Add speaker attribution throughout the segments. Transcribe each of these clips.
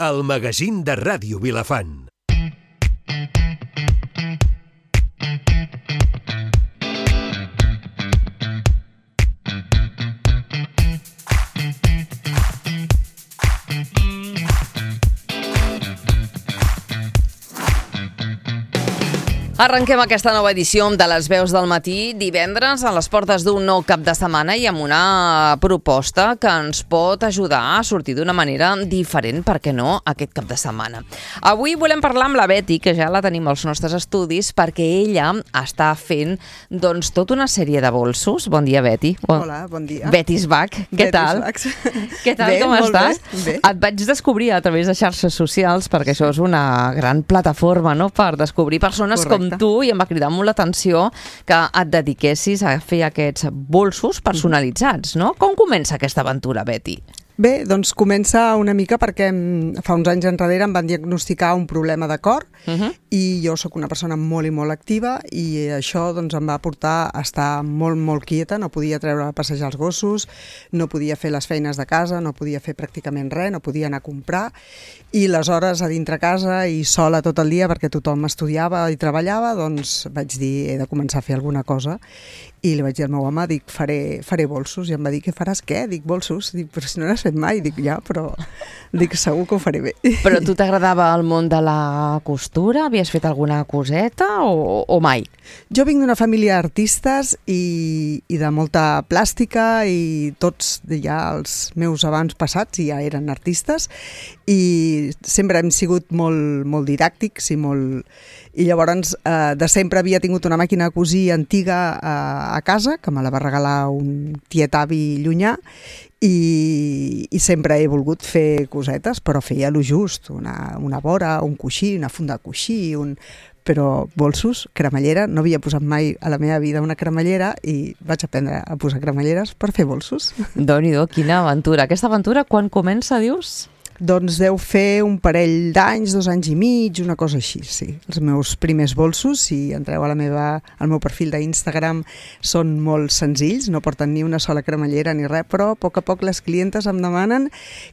Speaker 1: el magazín de Ràdio Vilafant.
Speaker 2: Arrenquem aquesta nova edició de les veus del matí divendres a les portes d'un nou cap de setmana i amb una proposta que ens pot ajudar a sortir d'una manera diferent, per què no, aquest cap de setmana. Avui volem parlar amb la Betty, que ja la tenim als nostres estudis, perquè ella està fent doncs tota una sèrie de bolsos. Bon dia, Betty.
Speaker 3: Hola, bon dia.
Speaker 2: Betty's Back, què tal? Què tal, com estàs?
Speaker 3: Bé.
Speaker 2: Et vaig descobrir a través de xarxes socials, perquè això és una gran plataforma, no?, per descobrir persones com tu, i em va cridar molt l'atenció que et dediquessis a fer aquests bolsos personalitzats, no? Com comença aquesta aventura, Betty?
Speaker 3: Bé, doncs comença una mica perquè fa uns anys enrere em van diagnosticar un problema de cor i jo sóc una persona molt i molt activa i això doncs em va portar a estar molt, molt quieta, no podia treure a passejar els gossos, no podia fer les feines de casa, no podia fer pràcticament res, no podia anar a comprar i les hores a dintre casa i sola tot el dia perquè tothom estudiava i treballava, doncs vaig dir he de començar a fer alguna cosa i li vaig dir al meu home, dic, faré bolsos i em va dir, què faràs, què? Dic, bolsos? Dic, però si no n'has fet mai, dic, ja, però dic, segur que ho faré bé.
Speaker 2: Però tu t'agradava el món de la costura? Havies fet alguna coseta o mai?
Speaker 3: Jo vinc d'una família d'artistes i de molta plàstica i tots ja els meus abans passats ja eren artistes i sempre hem sigut molt, molt didàctics i llavors de sempre havia tingut una màquina de cosir antiga a casa, que me la va regalar un tiet-avi llunyà i sempre he volgut fer cosetes, però feia lo just, una vora, un coixí, una funda de coixí, però bolsos, cremallera, no havia posat mai a la meva vida una cremallera i vaig aprendre a posar cremalleres per fer bolsos.
Speaker 2: Déu-n'hi-do, quina aventura. Aquesta aventura quan comença, dius?
Speaker 3: Doncs deu fer un parell d'anys, 2 anys i mig, una cosa així, sí. Els meus primers bolsos, si entreu al meu perfil d'Instagram, són molt senzills, no porten ni una sola cremallera ni res, però a poc les clientes em demanen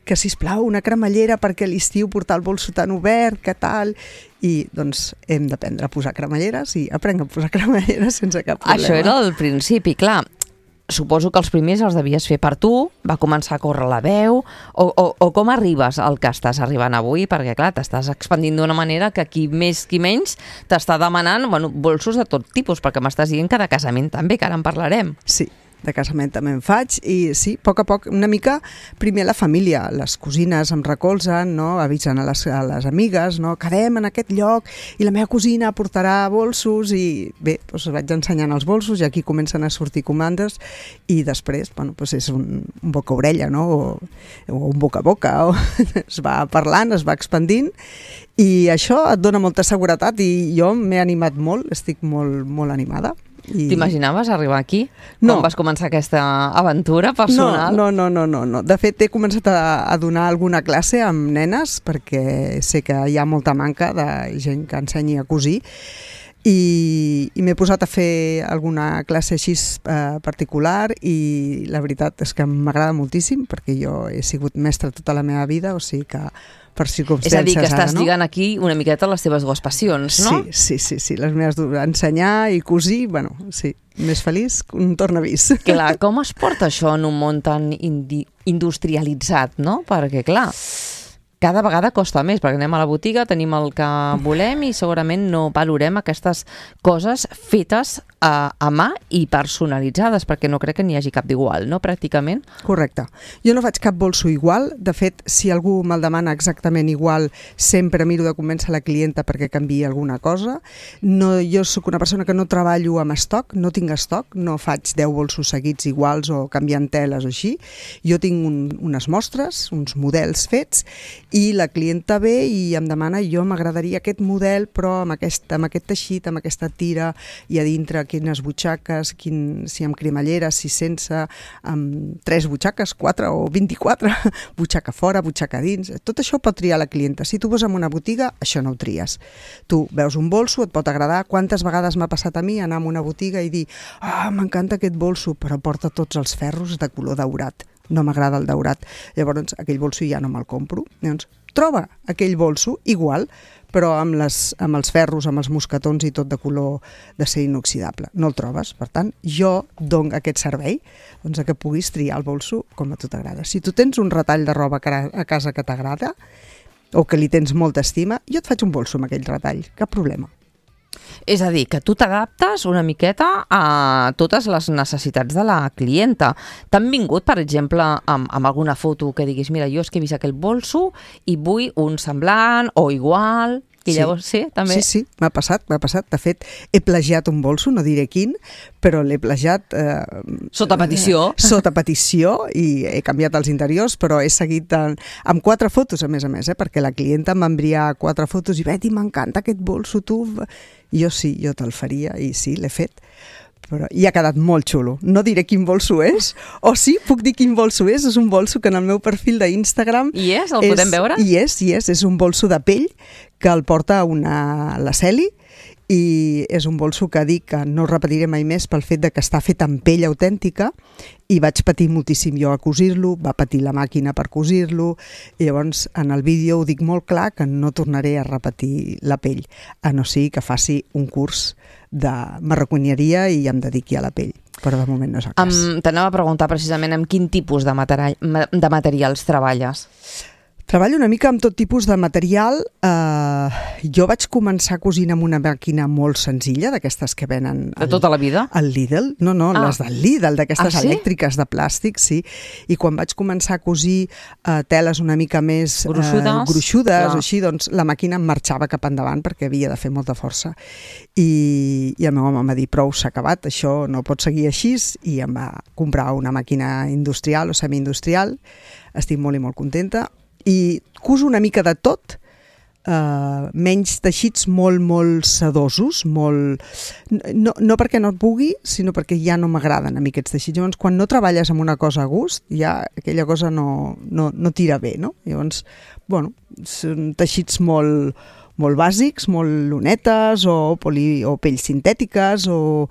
Speaker 3: que, sisplau, una cremallera perquè a l'estiu portar el bolso tan obert, que tal... I doncs hem d'aprendre a posar cremalleres i aprenc a posar cremalleres sense cap problema.
Speaker 2: Això era el principi, clar. Suposo que els primers els devies fer per tu, va començar a córrer la veu, o com arribes al que estàs arribant avui? Perquè, clar, t'estàs expandint d'una manera que qui més qui menys t'està demanant bolsos de tot tipus, perquè m'estàs dient que de casament també, que ara en parlarem.
Speaker 3: Sí, de casament també en faig i sí, a poc, una mica, primer la família, les cosines em recolzen, no? Avisen a les amigues, no? Quedem en aquest lloc i la meva cosina portarà bolsos i bé, doncs vaig ensenyant els bolsos i aquí comencen a sortir comandes i després, és un boca-orella, no? O un boca-a-boca, es va parlant, es va expandint i això et dona molta seguretat i jo m'he animat molt, estic molt, molt animada.
Speaker 2: T'imaginaves arribar aquí?
Speaker 3: No.
Speaker 2: Quan vas començar aquesta aventura personal?
Speaker 3: No. De fet, he començat a donar alguna classe amb nenes perquè sé que hi ha molta manca de gent que ensenyi a cosir i m'he posat a fer alguna classe així particular i la veritat és que m'agrada moltíssim perquè jo he sigut mestra tota la meva vida, o sigui que per circumstàncies
Speaker 2: ara, no? És a dir, que estàs lligant aquí una miqueta les teves dues passions, no?
Speaker 3: Sí, les meves ensenyar i cosir, sí, més feliç que un tornavís.
Speaker 2: Clar, com es porta això en un món tan industrialitzat, no? Perquè, clar, cada vegada costa més, perquè anem a la botiga, tenim el que volem i segurament no valorem aquestes coses fetes a mà i personalitzades, perquè no crec que n'hi hagi cap d'igual, no? Pràcticament.
Speaker 3: Correcte. Jo no faig cap bolso igual. De fet, si algú me'l demana exactament igual, sempre miro de convèncer la clienta perquè canviï alguna cosa. Jo sóc una persona que no treballo amb estoc, no tinc estoc, no faig 10 bolsos seguits iguals o canviant teles o així. Jo tinc unes mostres, uns models fets, i la clienta ve i em demana, jo m'agradaria aquest model, però amb aquest teixit, amb aquesta tira, i a dintre quines butxaques, si amb cremallera, si sense, amb 3 butxaques, 4 o 24, butxaca fora, butxaca dins, tot això pot triar la clienta. Si tu vas en una botiga, això no ho tries. Tu veus un bolso, et pot agradar. Quantes vegades m'ha passat a mi anar a una botiga i dir m'encanta aquest bolso, però porta tots els ferros de color daurat. No m'agrada el daurat. Llavors, aquell bolso ja no me'l compro. Llavors, troba aquell bolso igual, però amb els ferros, amb els mosquetons i tot de color d'acer inoxidable. No el trobes, per tant, jo dono aquest servei doncs, que puguis triar el bolso com a tu t'agrada. Si tu tens un retall de roba a casa que t'agrada o que li tens molta estima, jo et faig un bolso amb aquell retall, cap problema.
Speaker 2: És a dir, que tu t'adaptes una miqueta a totes les necessitats de la clienta. T'han vingut, per exemple, amb alguna foto que diguis, mira, jo és que he vist aquell bolso i vull un semblant o igual... I llavors, sí, també?
Speaker 3: Sí, m'ha passat. De fet, he plagiat un bolso, no diré quin, però l'he plagiat...
Speaker 2: Sota petició.
Speaker 3: Sota petició, i he canviat els interiors, però he seguit amb 4 fotos, a més, perquè la clienta em va enviar 4 fotos i Betty, m'encanta aquest bolso, tu... Jo te'l faria, i sí, l'he fet. Però i ha quedat molt xulo. No diré quin bolso és, o sí, puc dir quin bolso és un bolso que en el meu perfil d'Instagram...
Speaker 2: I és? El podem veure?
Speaker 3: I és un bolso de pell que el porta la Celi, i és un bolso que dic que no repetiré mai més pel fet de que està fet amb pell autèntica, i vaig patir moltíssim jo a cosir-lo, va patir la màquina per cosir-lo, i llavors en el vídeo ho dic molt clar que no tornaré a repetir la pell, a no ser que faci un curs de marroquineria i em dediqui a la pell, però de moment no és el cas.
Speaker 2: T'anava a preguntar precisament amb quin tipus de materials treballes.
Speaker 3: Treballo una mica amb tot tipus de material. Jo vaig començar cosint amb una màquina molt senzilla, d'aquestes que venen...
Speaker 2: De tota la vida?
Speaker 3: Al Lidl. No, les del Lidl, d'aquestes elèctriques de plàstic, sí. I quan vaig començar a cosir teles una mica més gruixudes o així, doncs la màquina em marxava cap endavant perquè havia de fer molta força. I el meu home em va dir, prou, s'ha acabat, això no pot seguir així, i em va comprar una màquina industrial o semi-industrial. Estic molt i molt contenta. I cuso una mica de tot, menys teixits molt sedosos, no perquè no et pugui, sinó perquè ja no m'agraden a mi aquests teixits. Llavors, quan no treballes amb una cosa a gust, ja aquella cosa no tira bé, no? Llavors, són teixits molt bàsics, molt lunetes o pells sintètiques, o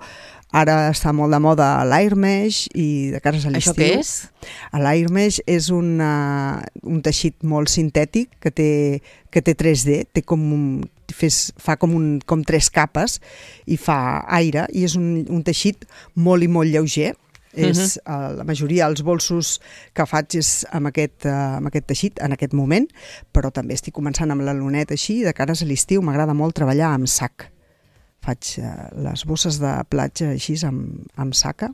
Speaker 3: ara està molt de moda l'Airmesh, i de cares a l'estiu.
Speaker 2: Això què és?
Speaker 3: L'Airmesh és un teixit molt sintètic que té 3D, fa com 3 capes i fa aire, i és un teixit molt i molt lleuger. La majoria dels bolsos que faig és amb aquest teixit en aquest moment, però també estic començant amb la luneta així, i de cares a l'estiu m'agrada molt treballar amb sac. Faig les bosses de platja així amb saca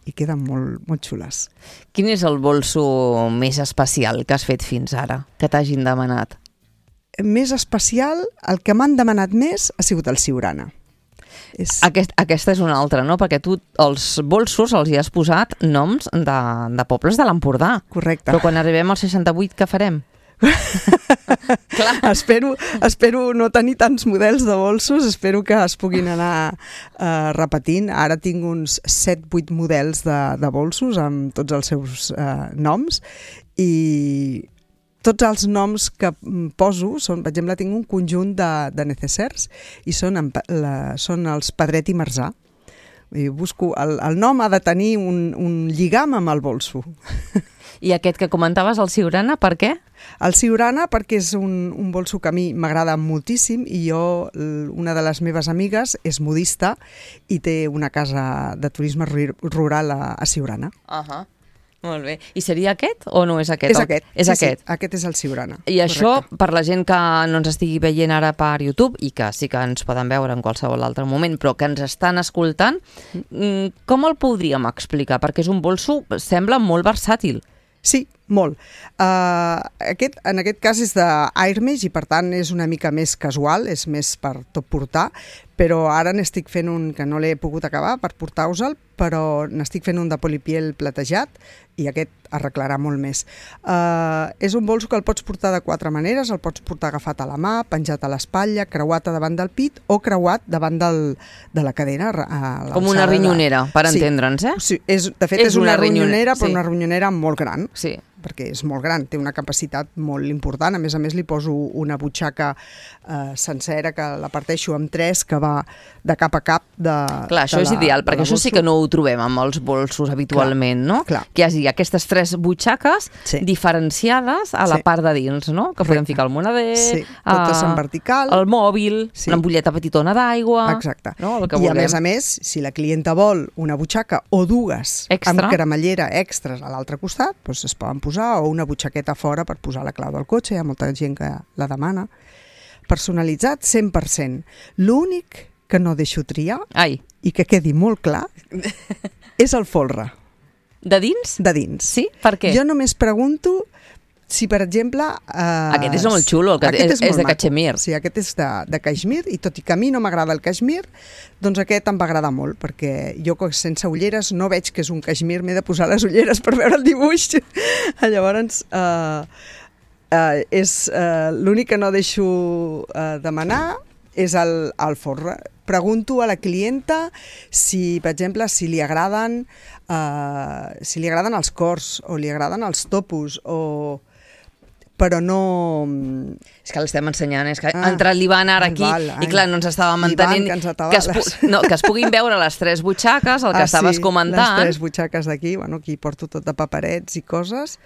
Speaker 3: i queden molt xules.
Speaker 2: Quin és el bolso més especial que has fet fins ara, que t'hagin demanat?
Speaker 3: Més especial, el que m'han demanat més ha sigut el Siurana.
Speaker 2: Aquesta és una altra, no? Perquè tu els bolsos els hi has posat noms de pobles de l'Empordà.
Speaker 3: Correcte.
Speaker 2: Però quan arribem al 68, què farem?
Speaker 3: Espero no tenir tants models de bolsos, espero que es puguin anar repetint. Ara tinc uns 7-8 models de bolsos amb tots els seus noms, i tots els noms que poso són, per exemple, tinc un conjunt de necessers i són els Pedret i Marzà. Busco, el nom ha de tenir un lligam amb el bolso.
Speaker 2: I aquest que comentaves, el Siurana, per què?
Speaker 3: El Siurana perquè és un bolso que a mi m'agrada moltíssim, i una de les meves amigues és modista i té una casa de turisme rural a Siurana.
Speaker 2: Molt bé. I seria aquest o no és aquest?
Speaker 3: És aquest.
Speaker 2: És aquest.
Speaker 3: Sí, aquest és el Siurana.
Speaker 2: I això, per la gent que no ens estigui veient ara per YouTube, i que sí que ens poden veure en qualsevol altre moment, però que ens estan escoltant, com el podríem explicar? Perquè és un bolso, sembla molt versàtil.
Speaker 3: Sí, molt. En aquest cas és d'Airmesh, i per tant és una mica més casual, és més per tot portar, però ara n'estic fent un que no l'he pogut acabar per portar-vos-el, però n'estic fent un de polipiel platejat, i aquest arreglarà molt més. És un bolso que el pots portar de 4 maneres, el pots portar agafat a la mà, penjat a l'espatlla, creuat a davant del pit o creuat davant de la cadera.
Speaker 2: Com una ronyonera, per entendre'ns, eh?
Speaker 3: Sí, de fet és una ronyonera, però una ronyonera molt gran.
Speaker 2: Sí.
Speaker 3: perquè és molt gran, té una capacitat molt important. A més li poso una butxaca sencera que la parteixo amb 3, que va de cap a cap
Speaker 2: Clar, això és ideal, perquè això sí que no ho trobem amb els bolsos habitualment, no?
Speaker 3: Clar.
Speaker 2: Que hi hagi aquestes 3 butxaques diferenciades a la part de dins, no? Que podem ficar el moneder,
Speaker 3: totes en vertical,
Speaker 2: el mòbil, una ampolleta petitona d'aigua...
Speaker 3: Exacte.
Speaker 2: No? El que
Speaker 3: I
Speaker 2: vulguem.
Speaker 3: a més, si la clienta vol una butxaca o 2 amb cremallera extras a l'altre costat, doncs es poden posar, o una butxaqueta fora per posar la clau del cotxe, hi ha molta gent que la demana. Personalitzat 100%. L'únic que no deixo triar, i que quedi molt clar, és el folre.
Speaker 2: De dins?
Speaker 3: De dins.
Speaker 2: Sí? Per què?
Speaker 3: Jo només pregunto si, per exemple...
Speaker 2: Aquest és molt xulo, és de cachemir.
Speaker 3: Sí, aquest és de cachemir, i tot i que a mi no m'agrada el cachemir, doncs aquest em va agradar molt, perquè jo sense ulleres no veig que és un cachemir, m'he de posar les ulleres per veure el dibuix. Llavors, l'únic que no deixo demanar és el folre. Pregunto a la clienta si, per exemple, si li agraden els cors o li agraden els topos, però no...
Speaker 2: És que l'estem ensenyant, és que ha entrat l'Ivan ara aquí i clar, no ens estàvem entenent que es puguin veure les 3 butxaques, el que estaves comentant.
Speaker 3: Les 3 butxaques d'aquí, aquí porto tot de paperets i coses,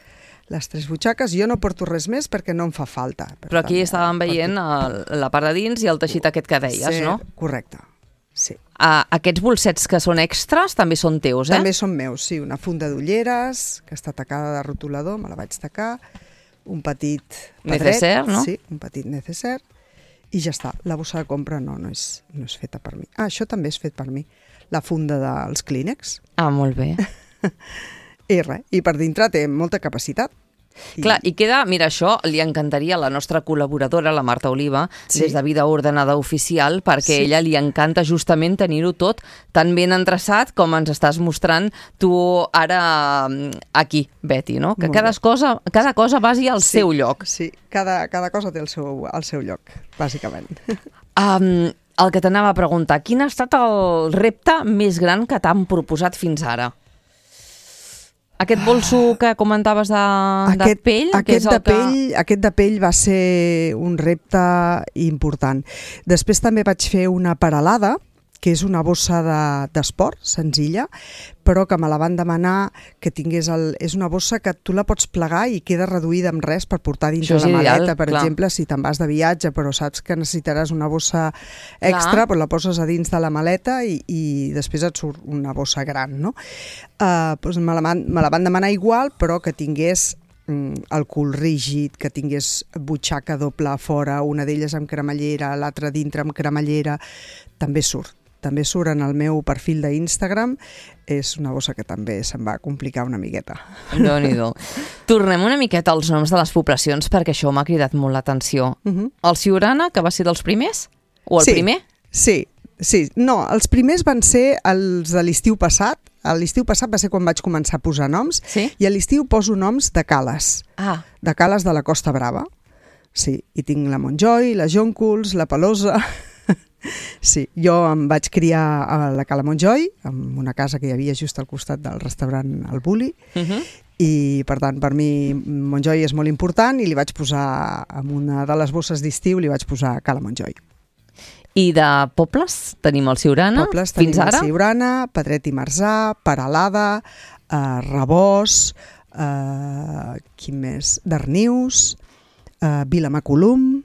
Speaker 3: les 3 butxaques, jo no porto res més perquè no em fa falta.
Speaker 2: Però aquí estàvem veient la part de dins i el teixit aquest que deies, no?
Speaker 3: Correcte, sí.
Speaker 2: Aquests bolsets que són extras també són teus,
Speaker 3: També són meus, sí. Una funda d'ulleres, que està tacada de rotulador, me la vaig tacar, un petit pedret,
Speaker 2: necessaire, no?
Speaker 3: Sí, un petit necessaire, i ja està. La bossa de compra no és feta per mi. Això també és fet per mi. La funda dels Kleenex.
Speaker 2: Molt bé.
Speaker 3: I per dintre té molta capacitat.
Speaker 2: Clar, i queda, mira, això li encantaria a la nostra col·laboradora, la Marta Oliva, des de Vida Ordenada Oficial, perquè a ella li encanta justament tenir-ho tot tan ben endreçat com ens estàs mostrant tu ara aquí, Betty, no? Que cada cosa vagi al seu lloc.
Speaker 3: Sí, cada cosa té el seu lloc, bàsicament.
Speaker 2: El que t'anava a preguntar, quin ha estat el repte més gran que t'han proposat fins ara? Aquest bolso que comentaves de pell?
Speaker 3: Aquest de pell va ser un repte important. Després també vaig fer una paralada, que és una bossa d'esport, senzilla, però que me la van demanar que tingués... És una bossa que tu la pots plegar i queda reduïda amb res per portar dins de la maleta, per exemple, si te'n vas de viatge, però saps que necessitaràs una bossa extra, però la poses a dins de la maleta i després et surt una bossa gran, no? Me la van demanar igual, però que tingués el cul rígid, que tingués butxaca doble a fora, una d'elles amb cremallera, l'altra dintre amb cremallera, també surt en el meu perfil d'Instagram. És una bossa que també se'm va complicar una miqueta.
Speaker 2: Déu-n'hi-do. Tornem una miqueta als noms de les poblacions, perquè això m'ha cridat molt l'atenció. El Siurana, que va ser dels primers? O el primer?
Speaker 3: Sí. No, els primers van ser els de l'estiu passat. L'estiu passat va ser quan vaig començar a posar noms, i a l'estiu poso noms de cales. De cales de la Costa Brava. Sí, i tinc la Montjoy, la Jonculs, la Pelosa... Sí, jo em vaig criar a la Cala Montjoy, en una casa que hi havia just al costat del restaurant El Bulli, i per tant per mi Montjoy és molt important i li vaig posar, en una de les bosses d'estiu li vaig posar Cala Montjoy.
Speaker 2: I de pobles tenim el Siurana, fins ara?
Speaker 3: El Siurana, Pedret i Marzà, Peralada, Rebós, quin més? Darnius, Vilamacolum...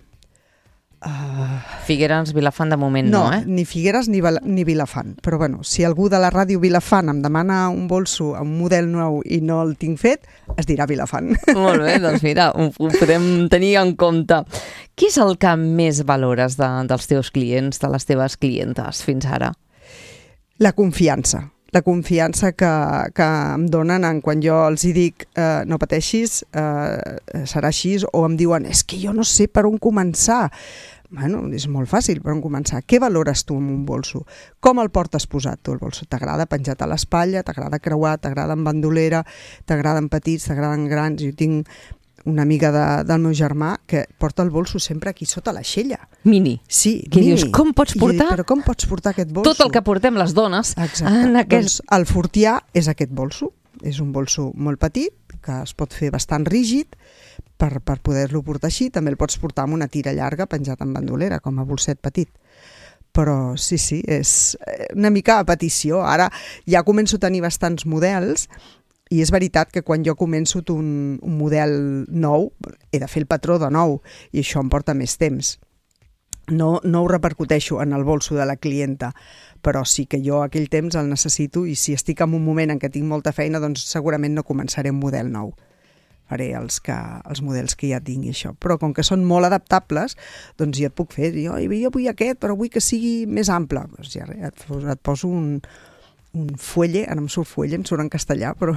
Speaker 2: Figueres, Vilafant de moment no,
Speaker 3: ni Figueres ni Vilafant, però bueno, si algú de la ràdio Vilafant em demana un bolso amb un model nou i no el tinc fet, es dirà Vilafant.
Speaker 2: Molt bé, doncs mira, ho podem tenir en compte. Què és el que més valores dels teus clients, de les teves clientes fins ara?
Speaker 3: La confiança. La confiança que em donen quan jo els dic no pateixis, serà així, o em diuen és que jo no sé per on començar. Bueno, és molt fàcil per on començar. Què valores tu amb un bolso? Com el portes posat tu, el bolso? T'agrada penjat a l'espatlla, t'agrada creuat, t'agrada en bandolera, t'agraden petits, t'agraden grans? Jo tinc una amiga del meu germà que porta el bolso sempre aquí sota l'aixella.
Speaker 2: Mini?
Speaker 3: Sí,
Speaker 2: que mini. Dius, com pots portar?
Speaker 3: Però com pots portar aquest bolso?
Speaker 2: Tot el que portem les dones.
Speaker 3: Exacte. Doncs el Fortià és aquest bolso. És un bolso molt petit que es pot fer bastant rígid per poder-lo portar així. També el pots portar amb una tira llarga penjat en bandolera, com a bolset petit. Però sí, és una mica a petició. Ara ja començo a tenir bastants models i és veritat que quan jo començo un model nou he de fer el patró de nou i això em porta més temps. No ho repercuteixo en el bolso de la clienta, però sí que jo aquell temps el necessito i si estic en un moment en què tinc molta feina, doncs segurament no començaré un model nou. Faré els models que ja tinc i això. Però com que són molt adaptables, doncs ja et puc fer. Jo vull aquest, però vull que sigui més ample. Doncs ja et poso un fuelle, ara em surt fuelle, em surt en castellà, però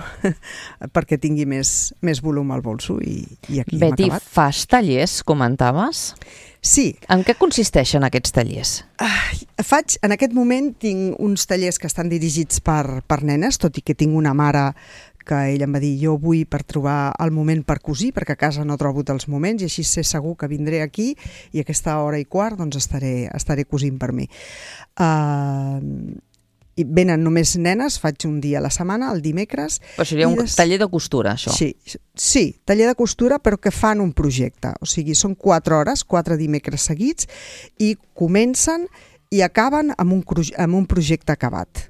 Speaker 3: perquè tingui més volum al bolso i aquí hem acabat.
Speaker 2: Beti, fas tallers, comentaves?
Speaker 3: Sí.
Speaker 2: En què consisteixen aquests tallers?
Speaker 3: En aquest moment tinc uns tallers que estan dirigits per nenes, tot i que tinc una mare que ella em va dir jo vull per trobar el moment per cosir, perquè a casa no trobo els moments i així sé segur que vindré aquí i a aquesta hora i quart doncs estaré cosint per mi. I venen només nenes, faig un dia a la setmana, el dimecres.
Speaker 2: Però seria un taller de costura, això?
Speaker 3: Sí, taller de costura, però que fan un projecte. O sigui, són 4 hores, 4 dimecres seguits, i comencen i acaben amb un projecte acabat.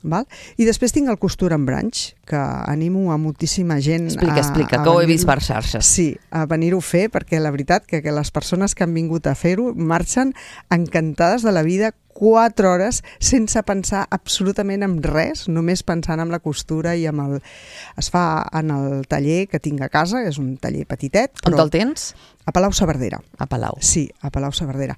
Speaker 3: Val? I després tinc el Costura en Branch, que animo a moltíssima gent
Speaker 2: Explica, que ho he vist per xarxes.
Speaker 3: Sí, a venir-ho a fer, perquè la veritat que les persones que han vingut a fer-ho marxen encantades de la vida 4 hores sense pensar absolutament en res, només pensant en la costura i amb es fa en el taller que tinc a casa, és un taller petitet.
Speaker 2: On te'l tens?
Speaker 3: A Palau-saverdera.
Speaker 2: A Palau.
Speaker 3: Sí, a Palau-saverdera.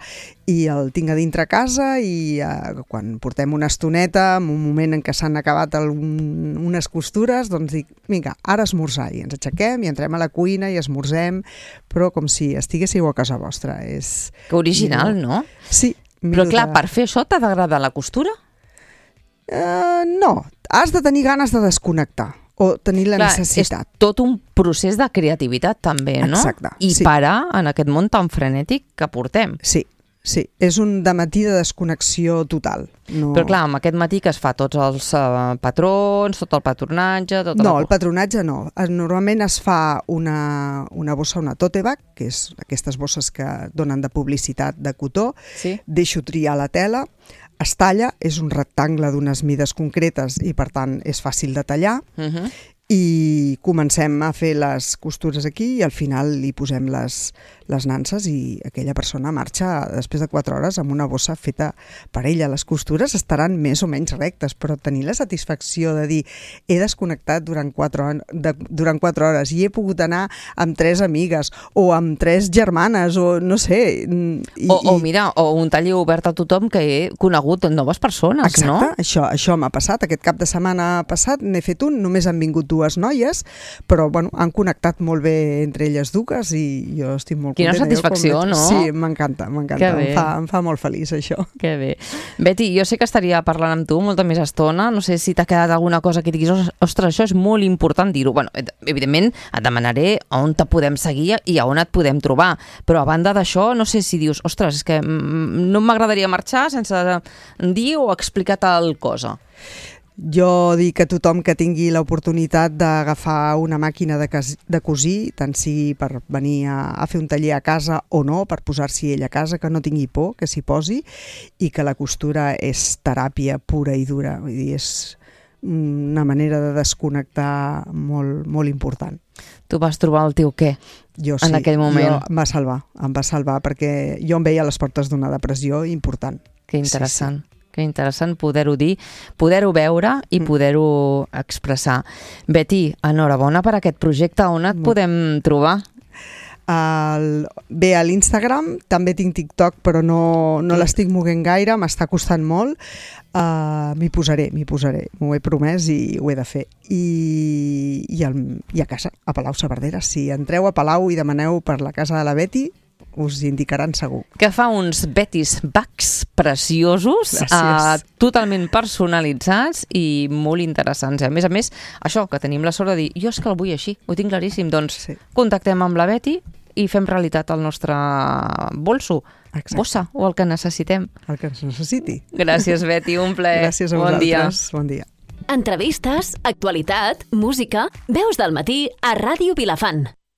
Speaker 3: I el tinc a dintre casa i quan portem una estoneta, en un moment en què s'han acabat unes costures, doncs dic, vinga, ara esmorzar. I ens aixequem i entrem a la cuina i esmorzem, però com si estiguéssiu a casa vostra.
Speaker 2: Que original, no?
Speaker 3: Sí.
Speaker 2: Però clar, per fer això t'ha d'agradar la costura?
Speaker 3: No, has de tenir ganes de desconnectar o tenir la necessitat.
Speaker 2: És tot un procés de creativitat també, no?
Speaker 3: Exacte.
Speaker 2: I parar en aquest món tan frenètic que portem.
Speaker 3: Sí, és un dematí de desconnexió total.
Speaker 2: Però clar, amb aquest matí que es fa tots els patrons, tot el patronatge...
Speaker 3: No, el patronatge no. Normalment es fa una bossa, una tote bag, que és aquestes bosses que donen de publicitat de cotó, deixo triar la tela, es talla, és un rectangle d'unes mides concretes i per tant és fàcil de tallar, i comencem a fer les costures aquí i al final li posem les nanses i aquella persona marxa després de 4 hores amb una bossa feta per ella. Les costures estaran més o menys rectes, però tenir la satisfacció de dir he desconnectat durant 4 hores i he pogut anar amb 3 amigues o amb 3 germanes o no sé...
Speaker 2: Mira, o un taller obert a tothom que he conegut noves persones, no?
Speaker 3: Exacte, això m'ha passat. Aquest cap de setmana passat n'he fet un, només han vingut 2 noies, però bueno, han connectat molt bé entre elles dues i jo estic molt
Speaker 2: contenta. Quina satisfacció, no?
Speaker 3: Sí, m'encanta. Em fa molt feliç això.
Speaker 2: Que bé. Beti, jo sé que estaria parlant amb tu molta més estona, no sé si t'ha quedat alguna cosa que diguis, ostres, això és molt important dir-ho. Bueno, evidentment et demanaré on te podem seguir i on et podem trobar, però a banda d'això, no sé si dius, ostres, és que no m'agradaria marxar sense dir o explicar tal cosa.
Speaker 3: Jo dic a tothom que tingui l'oportunitat d'agafar una màquina de cosir, tant sigui per venir a fer un taller a casa o no, per posar-s'hi ell a casa, que no tingui por, que s'hi posi, i que la costura és teràpia pura i dura. Vull dir, és una manera de desconnectar molt, molt important.
Speaker 2: Tu vas trobar el teu què?
Speaker 3: Jo sí,
Speaker 2: en aquell moment?
Speaker 3: Em va salvar perquè jo em veia a les portes d'una depressió important.
Speaker 2: Que interessant. Sí. Que interessant poder-ho dir, poder-ho veure i poder-ho expressar. Beti, enhorabona per aquest projecte. On et podem trobar?
Speaker 3: Bé, a l'Instagram, també tinc TikTok, però no l'estic moguent gaire, m'està costant molt. M'hi posaré, m'ho he promès i ho he de fer. I a casa, a Palau-saverdera. Si entreu a Palau i demaneu per la casa de la Beti, us indicaran segur.
Speaker 2: Que fa uns Betis Bags preciosos, totalment personalitzats i molt interessants. A més, això, que tenim la sort de dir, jo és que el vull així, ho tinc claríssim, doncs contactem amb la Beti i fem realitat el nostre bolso, bossa o el que necessitem.
Speaker 3: El que es necessiti.
Speaker 2: Gràcies, Beti, un plaer.
Speaker 3: Gràcies a vosaltres. Bon dia.
Speaker 4: Entrevistes, actualitat, música... Veus del matí a Ràdio Vilafant.